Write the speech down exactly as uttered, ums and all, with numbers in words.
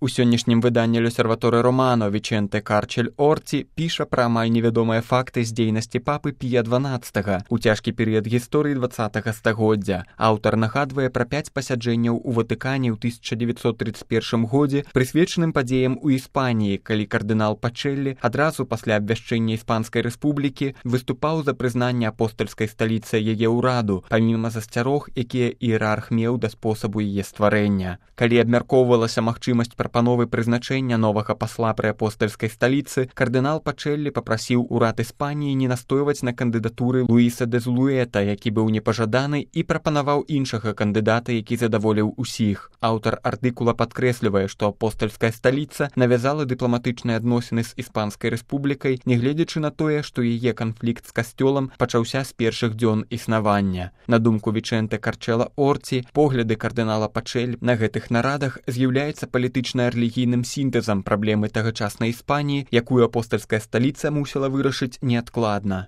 У сённяшнім выданні L'Osservatore Romano Вічэнте Карчель Орці піша пра амаль невядомыя факты з дзейнасці папы Пія дванаццатага ў цяжкі перыяд гісторыі дваццатага стагоддзя. Аўтар нагадвае пра пяць пасяджэнняў у Ватыкане ў тысяча дзевяцьсот тридцать першым годзе, прысвечаным падзеям у Іспаніі, калі кардынал Пачэллі адразу пасля абвяшчэння Іспанскай рэспублікі выступаў за прызнанне апостальскай сталіцы яе ўраду, паміма засцярог, якія іерарх меў да спосабу яе стварэння. Калі абмяркоўвалася магчымасць прапановы прызначэння новага пасла пры апостальскай сталіцы, кардынал Пачэллі папрасіў урад Іспаніі не настойваць на кандыдатуры Луіса де Зулуэта, які быў непажаданы, і прапанаваў іншага кандыдата, які задаволіў усіх. Аўтар артыкула падкрэслівае, што апостальская сталіца навязала дыпламатычныя адносіны з Іспанскай рэспублікай, нягледзячы на тое, што яе канфлікт з касцёлам пачаўся з першых дзён існавання. На думку Вічэнте Карчела Орці, погляды кардынала Пачэллі на гэтых нарадах з'яўляецца палітычна-рэлігійным сінтэзам праблемы тагачаснай Іспаніі, якую апостальская сталіца мусіла вырашыць неадкладна.